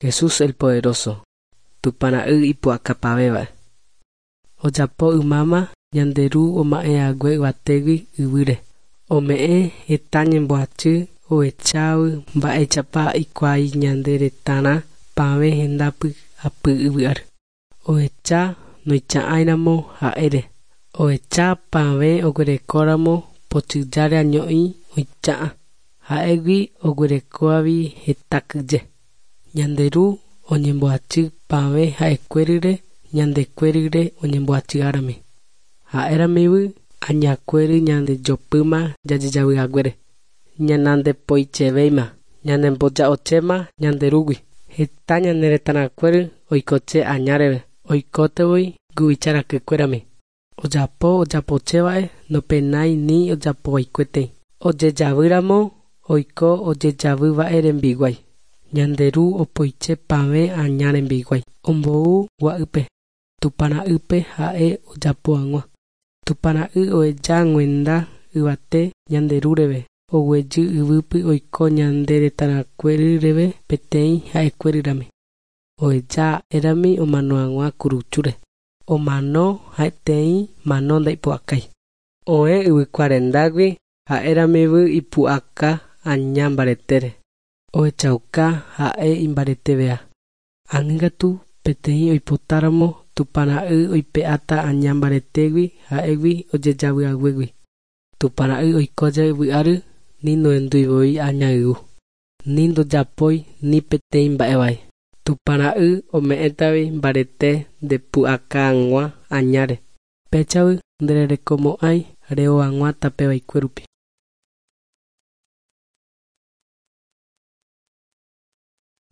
Jesús el Poderoso, Tupã Ra'y ipu'akapavéva. Ojapo ymáma ñande Ru oma'ẽhague yvatégui yvýre. Ome'ẽ heta ñemboachy ohechávo mba'éichapa ikuaái ñande retãrã pavẽ hendápy apy yvy ári. Ohecha noicha'ãiramo ha'ére. Ohecha pavẽ oguerekóramo pochyjáre año'i oicha'ã. Ha'égui oguerekóvavi heta kyje. Ñande Ru oñemboachy pavẽ ha'ekuérire ñandekuérire oñemboachy'árami. Ha'éramivy añakuéry ñandejopýma jajejavyhaguére. Ñanandepoichevéima, ñanemboja'ochéma ñande Rúgui. Heta ñane retãrakuéry oikoche añáreve, oikótevoi guyvicharakykuérami. Ojapo ojapochéva'e nopenái ni ojapovaikuetei. Ojejavýramo oiko ojejavýva'e rembiguái. Ñande Ru opoiche pavẽ aña rembiguái. Ombou gua'ýpe, Tupã Ra'ýpe ha'e ojapo hag̃ua. Tupã Ra'y oheja g̃uenda yvate ñande Ru reve, oguejy yvýpy oiko ñande retãrakuéryreve peteĩ ha'ekuéryrami. Oheja ha'érami omano hag̃ua kuruchúre. Omano ha'eteĩ mano ndaipu'akái. Oẽ yvykuarendágui ha'éramivy ipu'aka aña mbaretére. Ohechauka ha'e imbareteveha. Ág̃akatu peteĩ oipotáramo Tupã Ra'y oipe'áta aña mbaretégui ha'égui ojejavyhaguégui. Tupã Ra'y oiko jave yvy ári ni nohendúivoi aña yvu. Ni ndojapói ni peteĩ mba'e vai. Tupã Ra'y ome'ẽtavi mbarete ndepu'aka hag̃ua añáre. Péichavy ndererekomo'ãi reho hag̃ua tape vaikue rupi.